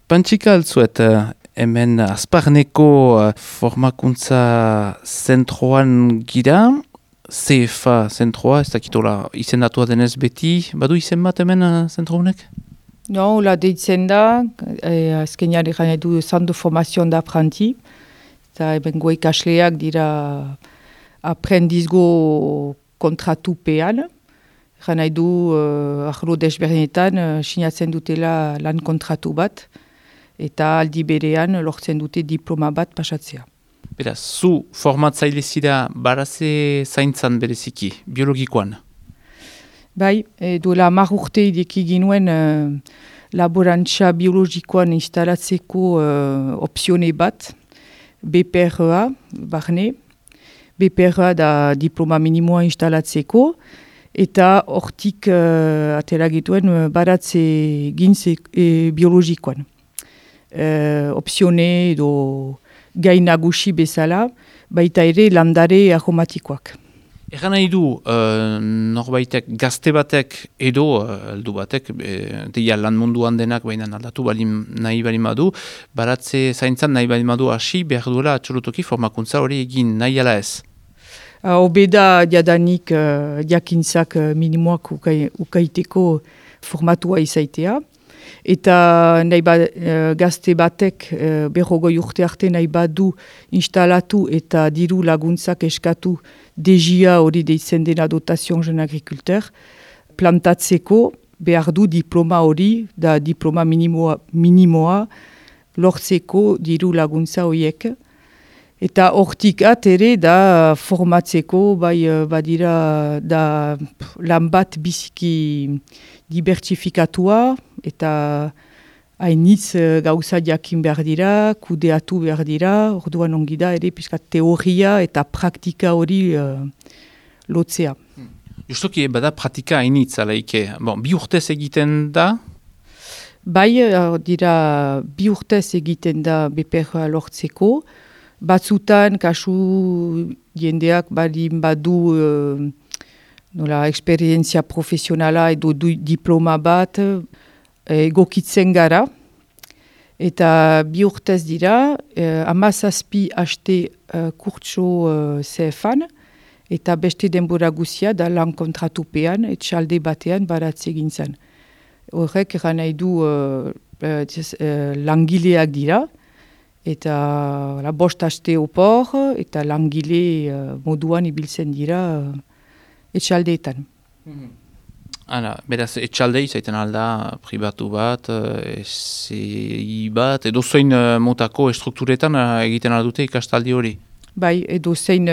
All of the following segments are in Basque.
Pantxika altzuet, hemen Azparneko formakuntza zentroan gira, CFA zentroa, ez dakitola izendatua denez beti, badu izen bat hemen zentro honek? No, la deitzen da, azkenean egan edu Centre de Formation d'Apprenti, eta hemen ikasleak dira aprendizgo kontratupean, egan edu arlo desberdinetan sinatzen dutela lan kontratu bat, eta aldi berean lortzen dute diploma bat pasatzea. Beraz, zu formatzaile zira baraze zaintzan bereziki, biologikoan? Bai, duela 10 urte ideki ginuen laborantza biologikoan instalatzeko opzione bat, BPRA, barne. BPRA da diploma minimoa instalatzeko, eta hortik atera gituen baratze gintze biologikoan. Opzione edo gai nagusi bezala, baita ere landare aromatikoak. Egan nahi du, norbaitek gazte batek edo heldu batek, deia lan munduan denak baina aldatu nahi bali madu, baratze zaintzan nahi bali madu hasi behar duela atxolotoki formakuntza hori egin nahi ala ez? Obeda jadanik jakintzak minimoak ukaiteko formatua izaitea. Eta gazte batek berrogoi urte arte nahi badu instalatu eta diru laguntzak eskatu DGA hori deitzen dena Dotation Jeune Agriculteur, plantatzeko behar du diploma hori, da diploma minimoa lortzeko diru laguntza horiek. Eta hortik ere da formatzeko, badira da lan bat biziki dibertsifikatua, eta hainitz gauza jakin behar dira, kudeatu behar dira, orduan ongi da ere pixka teoria eta praktika hori lotzea. Justoki bada praktika hainitz alaike, bi urtez egiten da? Bai, dira bi urtez egiten da BPR lortzeko, batzutan kasu jendeak badu eksperientzia profesionala edo diploma bat, egokitzen gara, eta bi urtez dira, 17 haste kurtso CFan, eta beste denbora guzia da lan kontratupean, etxalde batean baratze gintzen. Horrek eran nahi du langileak dira, eta bost haste opor, eta langile moduan ibiltzen dira etxaldeetan. Beraz, etxalde izaiten alda pribatu bat, SI bat, edo zein motako estrukturetan egiten aldute ikastaldi hori? Bai, edo zein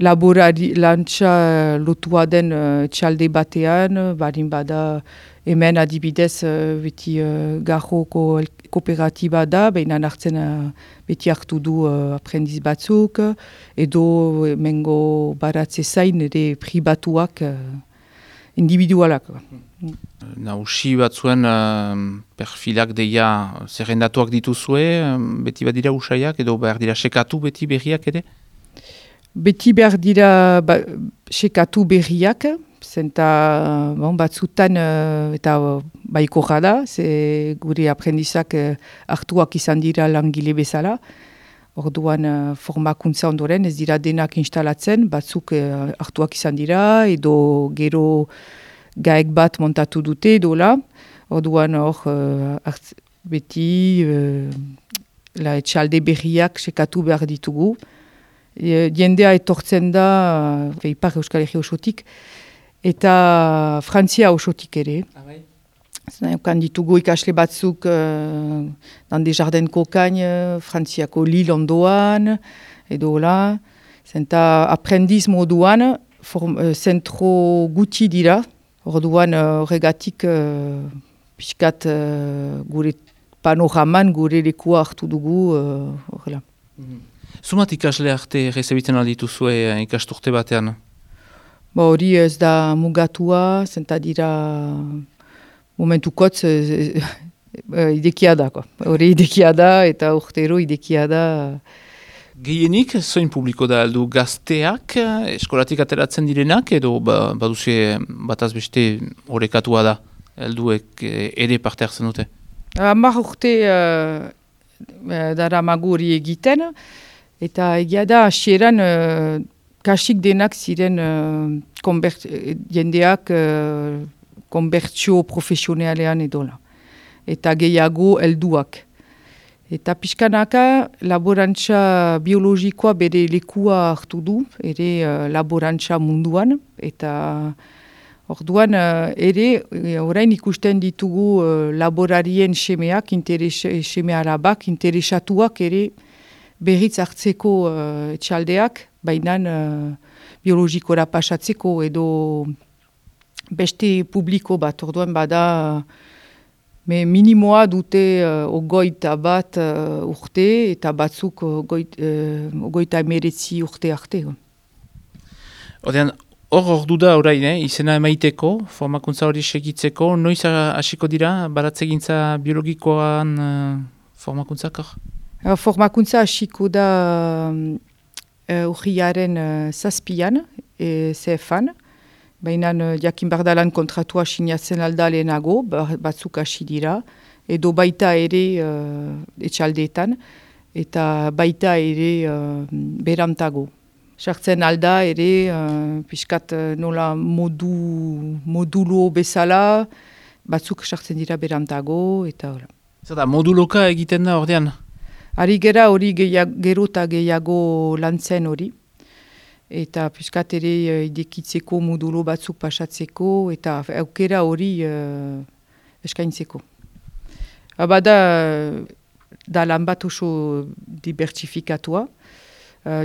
laborari lantza lotua den etxalde batean, barin bada hemen adibidez beti garroko kooperatiba da, behin hartzen beti hartu du aprendiz batzuk, edo mengo baratze zain ere pribatuak individualak. Nausi batzuen perfilak deia zerrendatuak dituzue, beti badira usaiak, edo behar dira sekatu beti berriak ere? Beti behar dira sekatu berriak, zenta batzutan eta baiko da, ze gure aprendizak hartuak izan dira langile bezala. Orduan formakuntza ondoren ez dira denak instalatzen, batzuk hartuak izan dira, edo gero gaek bat montatu dute edola. Orduan beti etxalde berriak sekatu behar ditugu. Jendea etortzen da, Ipar Euskal Herri osotik, eta Frantzia osotik ere. Kan ditugu ikasle batzuk dan Desjardins Kokain, Frantziako Lille ondoan, edo la. Zenta aprendiz moduan, zentro guti dira, orduan horregatik pixkat gure panoraman, gure lekua hartu dugu, horrela. Zumat ikasle arte rezebitzen aldituzue ikasturte batean? Hori ez da mugatua, zenta dira momentukotz idekia da. Hori idekia da eta urtero idekia da. Gehienik, zoin publiko da aldu gazteak, eskolatik ateratzen direnak, edo baduzie bataz beste horrekatua da, alduek ere parte hartzen dute? 10 urte dara magu hori egiten, eta egia da hasieran kasik denak ziren jendeak konbertsio profesionalean edola. Eta gehiago helduak. Eta pixkanaka laborantza biologikoa bere lekua hartu du, ere laborantza munduan, eta orduan ere orain ikusten ditugu laborarien semeak, seme alabak, interesatuak ere berriz hartzeko etxaldeak, baina biologikora pasatzeko edo beste publiko bat, orduan bada minimoa dute 21 urte eta batzuk 19 urte arte. Ordean, hor ordu da orain, izena emaiteko, formakuntza hori segitzeko, noiz hasiko dira, baratzegintza biologikoan formakuntzak? Formakuntza hasiko da urriaren 7an, CFan, baina jakin bardalan kontratua sinatzen alda lehenago, batzuk hasi dira, edo baita ere etxaldeetan, eta baita ere berantago. Sartzen alda ere, pixkat nola modulo bezala, batzuk sartzen dira berantago, eta hola. Zer da, moduloka egiten da ordean? Ari gera hori gero eta gehiago lantzen hori. Eta piskat ere idekitzeko modulo batzuk pasatzeko eta aukera hori eskaintzeko. Bada da lan bat oso dibertsifikatua,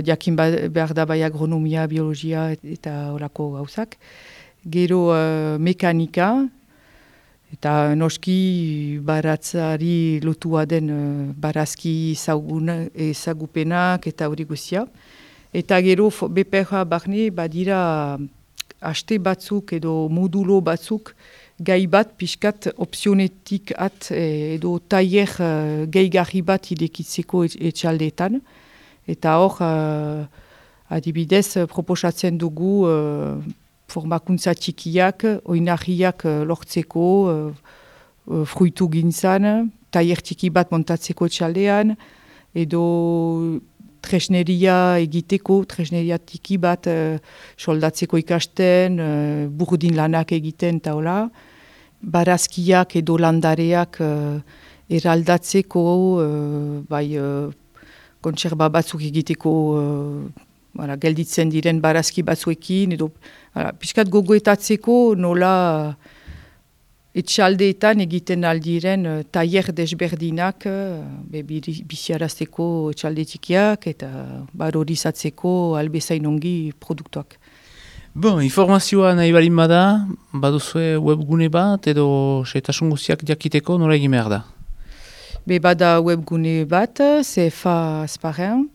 jakin behar da bai agronomia, biologia eta horako gauzak. Gero mekanika eta noski baratzari lotua den barazki ezagupenak eta hori guzia. Eta gero BPH barne badira haste batzuk edo modulo batzuk gai bat pixkat opzionetik edo tailer gehigarri bat idekitzeko etxaldeetan. Eta hor adibidez proposatzen dugu formakuntza txikiak, oinarriak lortzeko, fruitu gintzan, tailer txiki bat montatzeko etxaldean, edo tresneria egiteko, tresneria tiki bat soldatzeko ikasten, burdin lanak egiten eta hola. Barazkiak edo landareak eraldatzeko, kontserba batzuk egiteko gelditzen diren barazki batzuekin, edo pixkat gogoetatzeko nola etxaldeetan egiten aldiren tailer desberdinak biziarazteko etxalde txikiak eta barorizatzeko albezain ongi produktuak. Bon, informazioa nahi balin bada, baduzue webgune bat edo setasun guztiak jakiteko nola egin behar da? Bada webgune bat, CFA Azparren,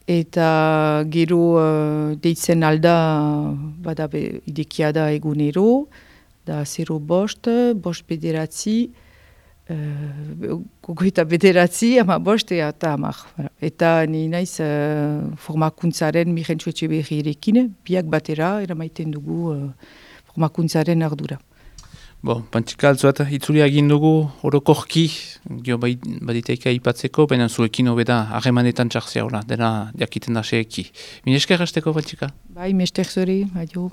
eta gero deitzen alda bada idekia da egunero, da 0 bost bederatzi, gogoeta bederatzi, ama bost eta amak. Eta ni naiz formakuntzaren Mirentxu Etxeberrirekin, biak batera eramaiten dugu formakuntzaren ardura. Bon, Pantxika altzuat, itzulia egin dugu orokorki, gio baditeika ipatzeko, baina zuekin hobeda harremanetan txartzea hola, dena jakiten da seeki. Minesker hasteko, Pantxika? Bai, mester zori, adio.